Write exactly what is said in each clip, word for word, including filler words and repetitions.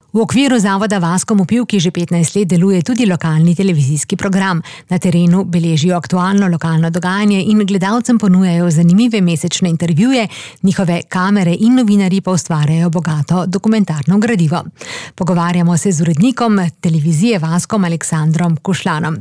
V okviru zavoda Vaskom v Pivki že petnajst let deluje tudi lokalni televizijski program. Na terenu beležijo aktualno lokalno dogajanje in gledalcem ponujajo zanimive mesečne intervjuje, njihove kamere in novinarji pa ustvarjajo bogato dokumentarno gradivo. Pogovarjamo se z urednikom televizije Vaskom Aleksandrom Kušlanom.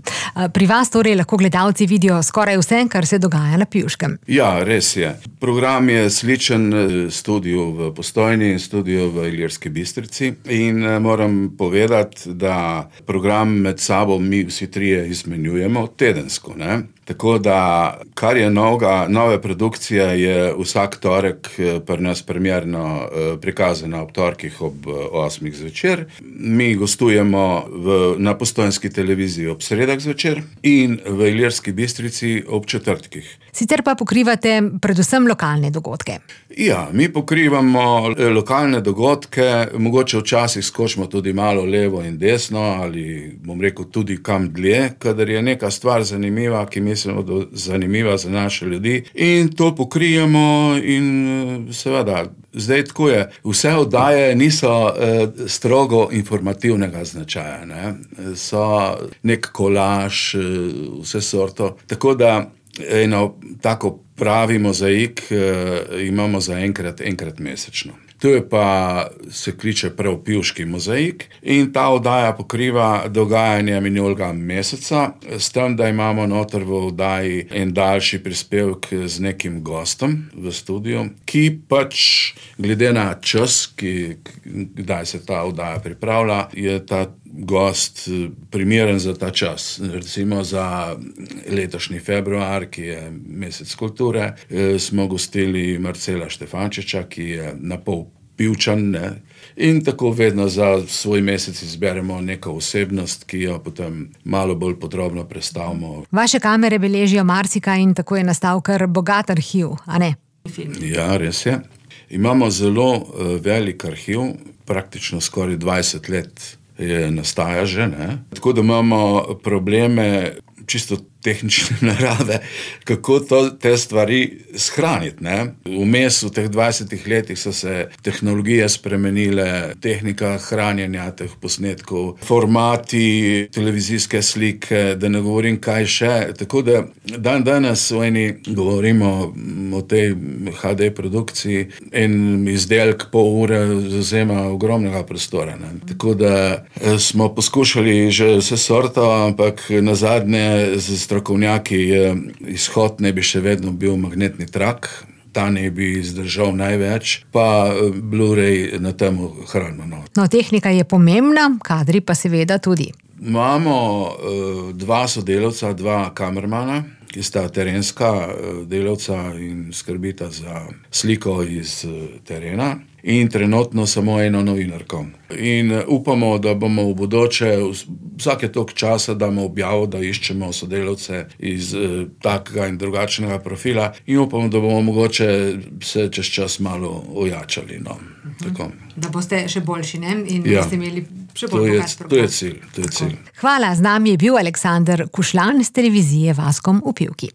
Pri vas torej lahko gledalci vidijo skoraj vse, kar se dogaja na Pivškem. Ja, res je. Program je sličen studiu v Postojni in studiu v Ilirski Bistrici in moram povedati, da program med sabo mi vsi trije izmenjujemo tedensko, ne? Tako da, kar je novega, nove produkcije je vsak torek pri nas premierno prikazana ob torkih ob osmih zvečer. Mi gostujemo v, na Postojnski televiziji ob sredah zvečer in v Ilirski Bistrici ob četrtkih. Sicer pa pokrivate predvsem lokalne dogodke. Ja, mi pokrivamo lokalne dogodke, mogoče včasih skočimo tudi malo levo in desno ali, bom rekel, tudi kam dlje, kadar je neka stvar zanimiva, ki mislimo, da zanimiva za naše ljudi in to pokrijemo in seveda, zdaj tako je, vse oddaje niso eh, strogo informativnega značaja, ne? So nek kolaž, eh, vse sorto, tako da eno tako pravi mozaik eh, imamo za enkrat, enkrat mesečno. To je pa, se kliče prav Pivški mozaik in ta oddaja pokriva dogajanje minulega meseca, s tem, da imamo noter v oddaji en daljši prispevek z nekim gostom v studiu, ki pač glede na čas, ki, kdaj se ta oddaja pripravlja, je ta gost primeren za ta čas. Recimo za letošnji februar, ki je mesec kulture, smo gostili Marcela Štefančiča, ki je na pol Pivčan, ne? In tako vedno za svoj mesec izberemo neko osebnost, ki jo potem malo bolj podrobno predstavimo. Vaše kamere beležijo marsikaj in tako je nastal kar bogat arhiv, a ne? Ja, res je. Imamo zelo uh, velik arhiv, praktično skoraj dvajset let je nastaja že, ne? Tako da imamo probleme čisto tehnične narave, kako to, te stvari shraniti, ne? Vmes v teh dvajsetih letih so se tehnologije spremenile, tehnika hranjenja teh posnetkov, formati, televizijske slike, da ne govorim kaj še. Tako da dan danes v eni govorimo o tej ha de produkciji, en izdelek pol ure zazema ogromnega prostora, ne? Tako da smo poskušali že vse sorto, ampak nazadnje z strokovnjaki izhod ne bi še vedno bil magnetni trak, ta ne bi izdržal največ, pa Blu-ray na temu hranimo. No. No, tehnika je pomembna, kadri pa seveda tudi. Imamo uh, dva sodelavca, dva kamermana, ki sta terenska uh, delavca in skrbita za sliko iz uh, terena. In trenutno samo eno novinarko. In upamo, da bomo v bodoče vsake toliko časa damo objavo, da iščemo sodelavce iz eh, takega in drugačnega profila in upamo, da bomo mogoče se čez čas malo ojačali. No. Tako. Da boste še boljši, ne? In ja, boste imeli še bolj bogat program. To je cilj, to je cilj. Hvala, z nami je bil Aleksander Kušlan z televizije Vaskom v Pivki.